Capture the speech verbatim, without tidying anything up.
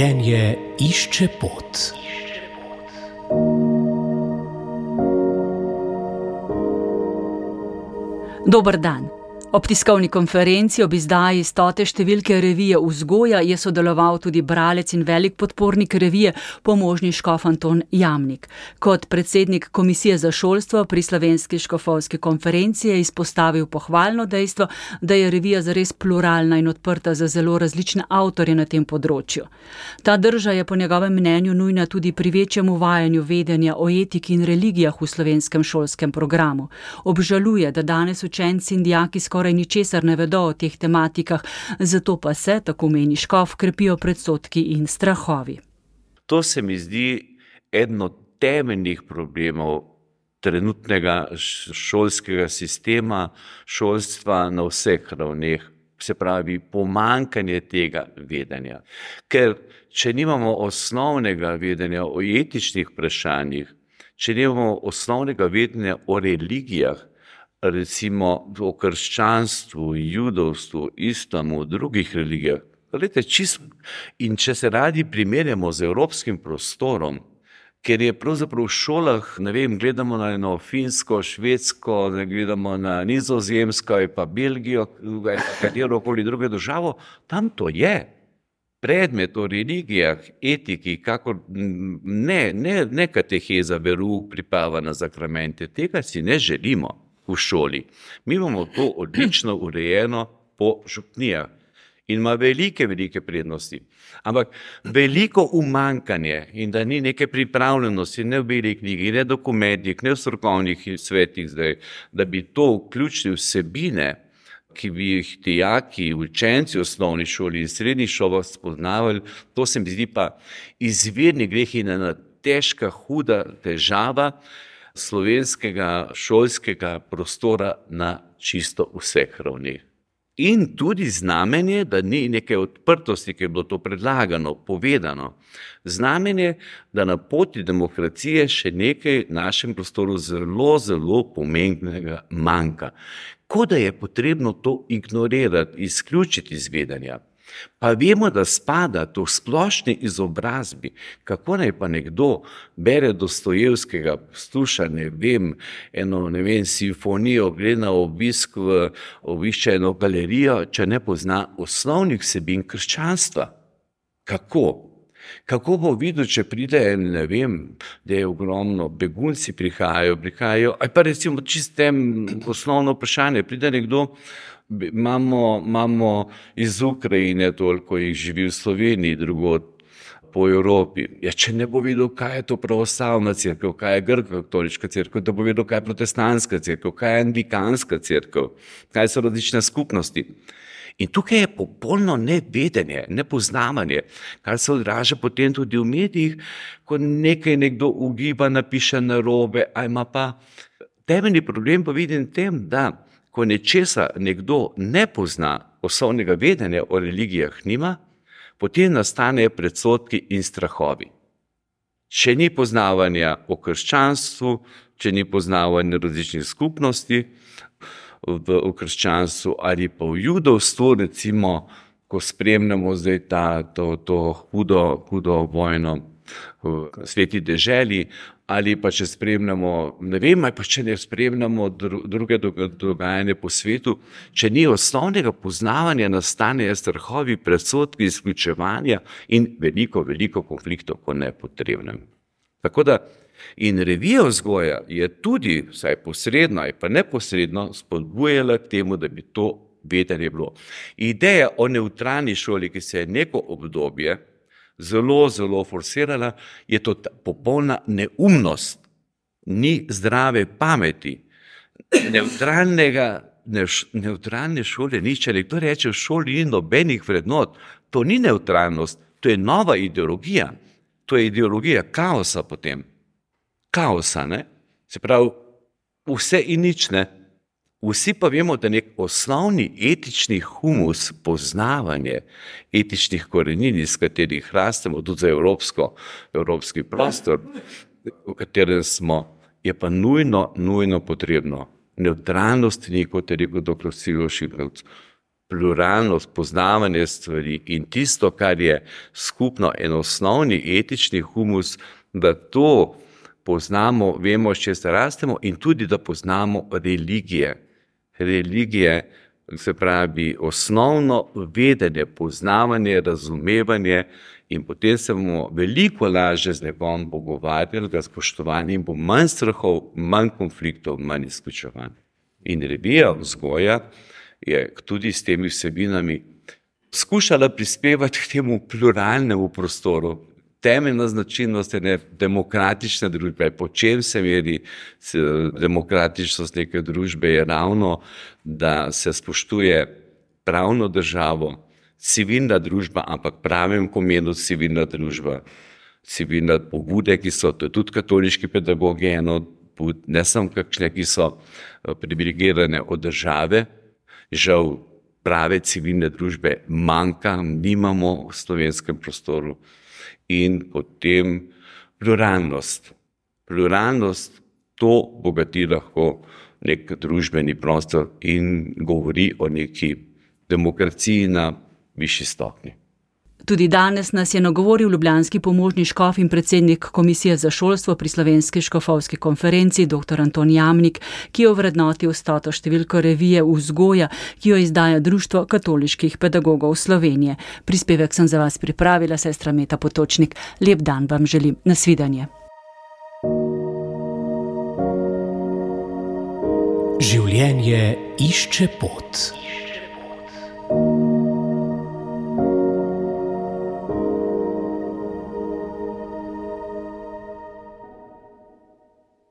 Življenje išče pot. Dober dan. Ob tiskovni konferenci ob izdaji stote številke revije Vzgoja je sodeloval tudi bralec in velik podpornik revije, pomožni škof Anton Jamnik. Kot predsednik Komisije za šolstvo pri Slovenski škofovski konferenci je izpostavil pohvalno dejstvo, da je revija zares pluralna in odprta za zelo različne avtorje na tem področju. Ta drža je po njegovem mnenju nujna tudi pri večjem uvajanju vedenja o etiki in religijah v slovenskem šolskem programu. Obžaluje, da danes učenci in dijaki skoraj skoraj ničesar ne vedo o teh tematikah, zato pa se, tako meni škof, krepijo predsodki in strahovi. To se mi zdi eden od temeljnih problemov trenutnega šolskega sistema, šolstva na vseh ravneh, se pravi pomanjkanje tega vedenja. Ker če nimamo osnovnega vedenja o etičnih vprašanjih, če nimamo osnovnega vedenja o religijah, recimo o krščanstvu, judovstvu, islamu, drugih religijah. Gledajte, čisto. In če se radi primerjamo z evropskim prostorom, ker je pravzaprav v šolah, ne vem, gledamo na eno Finsko, Švedsko, gledamo na Nizozemsko, pa Belgijo, katerokoli drugo državo, tam to je. Predmet o religijah, etiki, kakor ne, ne, ne kateheza, verouk, priprava na zakramente, tega si ne želimo v šoli. Mi imamo to odlično urejeno po župnijah in ima velike, velike prednosti. Ampak veliko umanjkanje in da ni neke pripravljenosti, ne v beli knjigi, ne dokumentih, ne v strokovnih svetih zdaj, da bi to vključili vsebine, ki bi jih dijaki, učenci v osnovni šoli in srednjih šolah spoznavali, to se mi zdi pa izvirni greh in ena težka, huda težava slovenskega šolskega prostora na čisto vseh ravneh. In tudi znamenje, da ni neke odprtosti, ki je bilo to predlagano, povedano. Znamenje, da na poti demokracije še nekaj v našem prostoru zelo, zelo pomembnega manjka. Kot da je potrebno to ignorirati, izključiti iz vedenja. Pa vemo, da spada to v splošni izobrazbi, kako naj pa nekdo bere Dostojevskega, posluša, ne vem, eno, ne vem, simfonijo, gre na obisk v obišče eno galerijo, če ne pozna osnovnih vsebin krščanstva. Kako? Kako bo videl, če pride, ne vem, da je ogromno, begunci prihajajo, prihajajo, ali pa recimo čistem osnovno vprašanje, pride nekdo, Imamo, imamo iz Ukrajine toliko jih živi v Sloveniji, drugod po Evropi. Ja, če ne bo videl, kaj je to pravoslavna cerkev, kaj je grško-katoliška cerkev, da bo videl, kaj je protestantska cerkev, kaj je anglikanska cerkev, kaj so različne skupnosti. In tukaj je popolno nevedenje, nepoznavanje, kar se odraža potem tudi v medijih, ko nekaj nekdo ugiba, napiše narobe, a ima pa temeljni problem pa vidim tem, da ko nečesa nekdo ne pozna, osnovnega vedenja o religijah nima, potem nastanejo predsodki in strahovi. Če ni poznavanja o krščanstvu, če ni poznavanja različnih skupnosti v, v krščanstvu ali pa v judovstvu, recimo, ko spremljamo zdaj ta, to, to hudo, hudo vojno v sveti deželi, ali pa če spremljamo, ne vem, ali pa če ne spremljamo druge dogajanje po svetu, če ni osnovnega poznavanja, nastanejo strahovi, predsodki, izključevanja in veliko, veliko konfliktov po nepotrebnem. Tako da in revija Vzgoja je tudi, vsaj posredno ali pa neposredno, spodbujala k temu, da bi to vedenje bilo. Ideja o nevtralni šoli, ki se je neko obdobje zelo, zelo forsirala, je to popolna neumnost, ni zdrave pameti. Neutralnega, ne, neutralne šole ni, če nekdo reče, v šoli ni nobenih vrednot, to ni neutralnost, to je nova ideologija, to je ideologija kaosa potem. Kaosa, ne? Se pravi, vse in nič, ne? Vsi pa vemo, da nek osnovni etični humus, poznavanje etičnih korenin, iz katerih rastemo tudi za evropsko, evropski prostor, v katerem smo, je pa nujno, nujno potrebno. Nevtralnost ni, kot je rekel doktor Silvo Širkovec, pluralnost, poznavanje stvari in tisto, kar je skupno, en osnovni etični humus, da to poznamo, vemo, s čim se rastemo in tudi, da poznamo religije. Religije, se pravi, osnovno vedenje, poznavanje, razumevanje in potem se bomo veliko lažje z nekom pogovarjali, ga spoštovali in bo manj strahov, manj konfliktov, manj izključevanj. In revija Vzgoja je tudi s temi vsebinami skušala prispevati k temu pluralnemu prostoru. Temeljna značilnost ene demokratične družbe, po čem se meri demokratičnost neke družbe, je ravno, da se spoštuje pravno državo, civilna družba, ampak pravem pomenu civilna družba, civilne pobude, ki so, to je tudi katoliški pedagogi, eno, ne samo kakšne, ki so privilegirane od države. Žal prave civilne družbe manjka, nimamo v slovenskem prostoru. In potem pluralnost. Pluralnost, to bogati lahko nek družbeni prostor in govori o neki demokraciji na višji stopnji. Tudi danes nas je nagovoril ljubljanski pomožni škof in predsednik Komisije za šolstvo pri Slovenski škofovski konferenci doktor Anton Jamnik, ki je ovrednotil stoto številko revije Vzgoja, ki jo izdaja Društvo katoliških pedagogov Slovenije. Prispevek sem za vas pripravila sestra Meta Potočnik. Lep dan vam želim. Nasvidenje. Življenje išče pot.